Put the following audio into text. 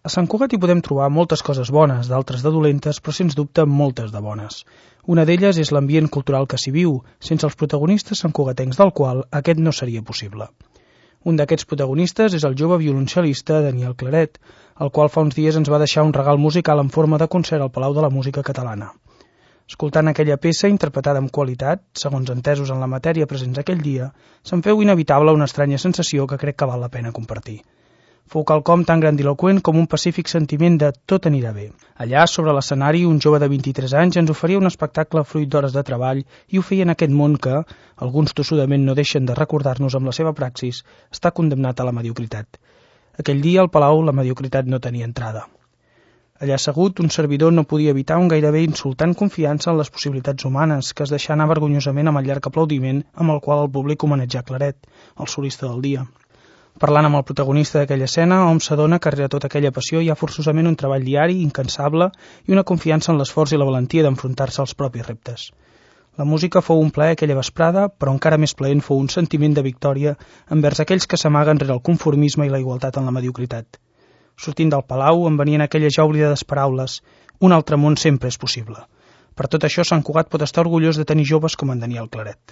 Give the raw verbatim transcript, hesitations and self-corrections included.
A Sant Cugat hi podem trobar moltes coses bones, d'altres de dolentes, però sens dubte moltes de bones. Una d'elles és l'ambient cultural que s'hi viu, sense els protagonistes santcugatencs del qual aquest no seria possible. Un d'aquests protagonistes és el jove violoncel·lista Daniel Claret, el qual fa uns dies ens va deixar un regal musical en forma de concert al Palau de la Música Catalana. Escoltant aquella peça, interpretada amb qualitat, segons entesos en la matèria presents aquell dia, se'n feu inevitable una estranya sensació que crec que val la pena compartir. Fou quelcom tan grandiloqüent com un pacífic sentiment de tot anirà bé. Allà, sobre l'escenari, un jove de vint-i-tres anys ens oferia un espectacle fruit d'hores de treball i ho feia en aquest món que, alguns tossudament no deixen de recordar-nos amb la seva praxis, està condemnat a la mediocritat. Aquell dia, al Palau, la mediocritat no tenia entrada. Allà assegut, un servidor no podia evitar un gairebé insultant confiança en les possibilitats humanes que es deixà anar vergonyosament amb el llarg aplaudiment amb el qual el públic homenatjà Claret, el solista del dia. Parlant amb el protagonista d'aquella escena, hom s'adona que rere tota aquella passió hi ha forçosament un treball diari, incansable, i una confiança en l'esforç i la valentia d'enfrontar-se als propis reptes. La música fou un plaer aquella vesprada, però encara més plaent fou un sentiment de victòria envers aquells que s'amaguen rere el conformisme i la igualtat en la mediocritat. Sortint del Palau em venien aquelles ja oblidades paraules: un altre món sempre és possible. Per tot això, Sant Cugat pot estar orgullós de tenir joves com en Daniel Claret.